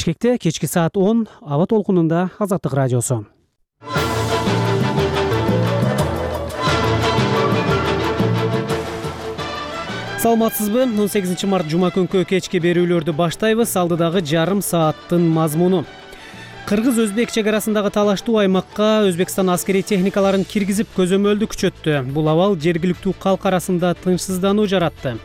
Бишкекте кечки саат 10 аба толкунунда Азаттык радиосу. Саламатсызбы? 18 март жума күнкү кечки берүүлөрдү баштайбыз. Алдыдагы жарым сааттын мазмуну. Кыргыз-Өзбек чек арасындагы талаштуу аймакка Өзбекстан аскерий техникаларын киргизип көзөмөлдү күчөттү. Бул абал жергиликтүү калк арасында тынчсыздануу жаратты.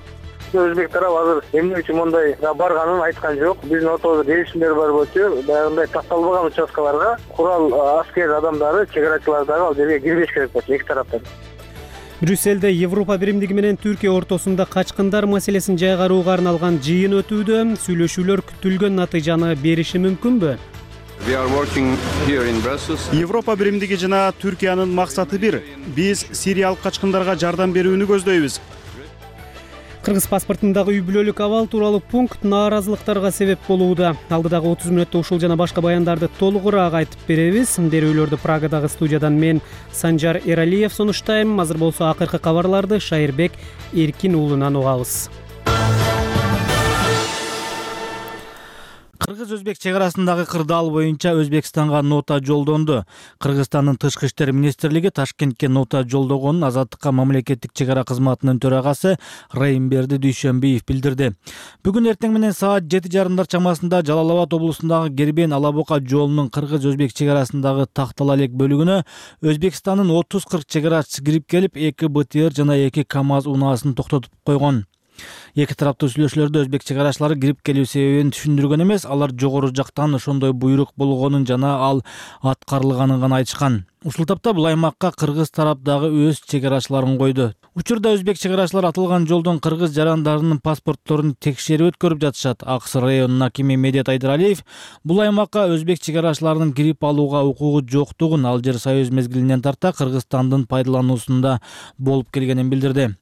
Өзбек тарап азыр эмне үчүн мындай барганын айткан жок. Биздин ортобузда келишимдер бар болчу, баягындай такталбаган участкаларга курал аскер адамдары, чек арачылар дагы ал жерге кирбеш керек болчу эки тараптан. Брюссельде Европа биримдиги менен Түркия ортосунда качкындар маселесин жайгарууга арналган жыйын өтүүдө. Сүйлөшүүлөр күтүлгөн натыйжаны бериши мүмкүнбү? Европа биримдиги жана Түркиянын максаты бир. Биз сириялык качкындарга жардам берүүнү көздөйбүз. Кыргыз паспортундагы үй бүлөлүк абал тууралуу пункт нааразылыктарга себеп болууда. Алдыдагы 30 мүнөттө ушул жана башка баяндарды толугураак айтып беребиз. Берүүлөрдү Прагадагы студиядан мен Санжар Эралиев сунуштайм. Азыр болсо акыркы кабарларды Шайырбек Эркин уулунан угабыз. Кыргыз-Өзбек чек арасындагы кырдаал боюнча Өзбекстанга нота жолдонду. Кыргызстандын тышкы иштер министрлиги Ташкентке нота жолдогонун Азаттыкка мамлекеттик чек ара кызматынын төрагасы Райымберди Дүйшөнбиев билдирди. Бүгүн эртең менен саат 7:30 чамасында Жалал Абад облусундагы Гербен-Алабока жолунун Кыргыз-Өзбек чек арасындагы тактала элек бөлүгүнө Өзбекстандын 30-40 чек арачысы кирип келип, 2 БТР жана 2 КАМАЗ унаасын токтотуп койгон. Эки тараптуу сүйлөшүүлөрдө өзбек чек арачылары кирип келүү себебин түшүндүргөн эмес, алар жогору жактан ошондой буйрук болгонун жана ал аткарылганын гана айтышкан. Ушул тапта бул аймакка кыргыз тарап дагы өз чек арачыларын койду. Учурда өзбек чек арачылары аталган жолдон кыргыз жарандарынын паспортторун текшерип өткөрүп жатышат. Аксы районунун акими Медет Айдыралиев бул аймакка өзбек чек арачыларынын кирип алууга укугу жоктугун, ал жер Союз мезгилинен тарта Кыргызстандын пайдалануусунда болуп келгенин билдирди.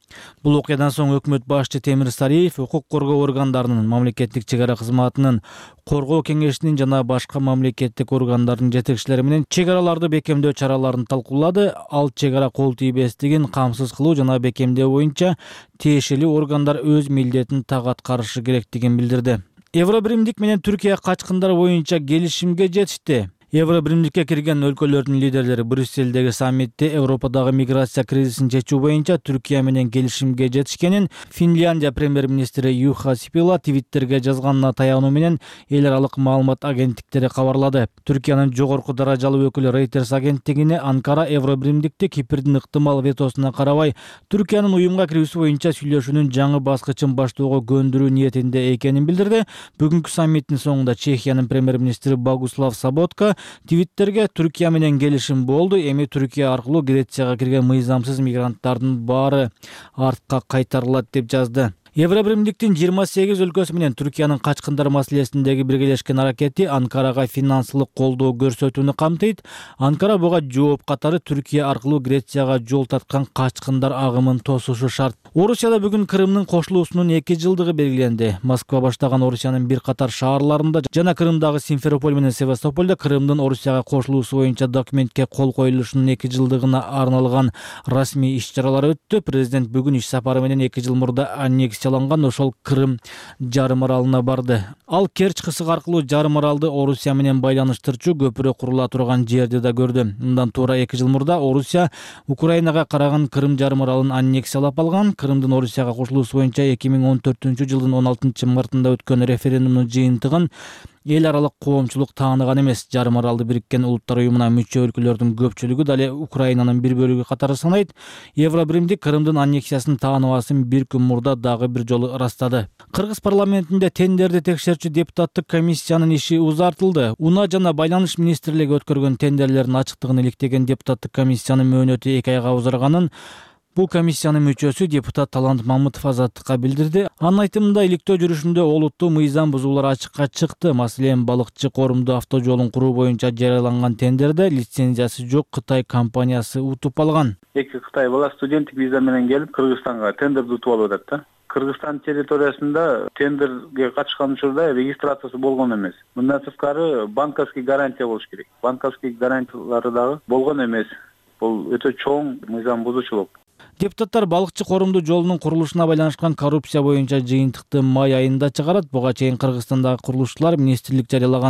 Бул окуядан соң өкмөт башчы Темир Сариев укук коргоо органдарынын, мамлекеттик чек ара кызматынын, коргоо кеңешинин жана башка мамлекеттик органдардын жетекчилери менен чек араларды бекемдөө чараларын талкуулады. Ал чек ара кол тийбестигин камсыз кылуу жана бекемдөө боюнча тиешелүү органдар өз милдетин так аткарышы керектигин билдирди. Евробиримдик менен Түркия качкындар боюнча келишимге жетишти. Евробиримдикке кирген өлкөлөрдүн лидерлери Брюссельдеги саммитте Европадагы миграция кризисин чечүү боюнча Түркия менен келишимге жетишкенин Финляндия премьер-министри Юха Сипила Твиттерге жазганына таянуу менен эл аралык маалымат агенттиктери кабарлады. Түркиянын жогорку даражалуу өкүлү Reuters агенттигине Анкара Евробиримдикти Кипрдин ыктымал ветосуна карабай Түркиянын уюмга кирүүсү боюнча сүйлөшүүнүн жаңы баскычын баштоого көндүрүү ниетинде экенин билдирди. Бүгүнкү саммиттин соңунда Чехиянын премьер-министри Богуслав Саботка Твиттерге Түркия менен келишим болду. Эми Түркия аркылуу Грецияга кирген мыйзамсыз мигранттардын баары артка кайтарылат деп жазды. Евробиримдиктин 28 өлкөсү менен Түркиянын качкындар маселесиндеги биргелешкен аракети Анкарага финансылык колдоо көрсөтүүнү камтыйт. Анкара буга жооп катары Түркия аркылуу Грецияга жол тарткан качкындар агымын тосушу шарт. Орусияда бүгүн Крымдын кошулуусунун 2 жылдыгы белгиленди. Москва баштаган Орусиянын бир катар шаарларында жана Крымдагы Симферополь менен Севастополдо Крымдын Орусияга кошулуусу боюнча документке кол коюлушунун 2 жылдыгына арналган расмий иш-чаралар өттү. Президент бүгүн иш сапары менен 2 жыл мурда аннексияланган ошол Крым жарым аралына барды. Ал Керчь кысыгы аркылуу жарым аралды Орусия менен байланыштырчу көпүрө курула турган жерди да көрдү. Мындан туура 2 жыл мурда Орусия Украинага караган Крым жарым аралын аннексиялап алган. Крымдын Орусияга кошулуусу боюнча 2014-жылдын 16-мартында өткөн референдумдун жыйынтыгын эл аралык коомчулук тааныган эмес. Жарым аралды Бириккен Улуттар уюмуна мүчө өлкөлөрдүн көпчүлүгү дале Украинанын бир бөлүгү катары санайт. Евробиримдик Крымдын аннексиясын тааныбасын бир күн мурда дагы бир жолу ырастады. Кыргыз парламентинде тендерди текшерчү депутаттык комиссиянын иши узартылды. Унаа жана байланыш министрлиги өткөргөн тендерлердин ачыктыгын иликтеген депутаттык комиссиянын мөөнөтү 2 айга узарганын бул комиссиянын мүчөсү депутат Талант Мамытов Азаттыкка билдирди. Анын айтымында иликтөө жүрүшүндө олуттуу мыйзам бузуулар ачыкка чыкты. Маселен, балыкчы корумду автожолун куруу боюнча жарыяланган тендерде лицензиясы жок Кытай компаниясы утуп алган. 2 Кытай бала студенттик виза менен келип Кыргызстанга тендерди утуп алып атат да. Кыргызстан территориясында тендерге катышкан учурда регистрациясы болгон эмес. Мындан сырткары банковский гарантия болуш керек. Банковский гарантиялары дагы болгон эмес. Бул өтө чоң мыйзам бузуучулук. Депутаттар балыкчы корумдуу жолунун курулушуна байланышкан коррупция боюнча жыйынтыкты май айында чыгарат. Буга чейин Кыргызстандагы курулушчулар министрлик жарыялаган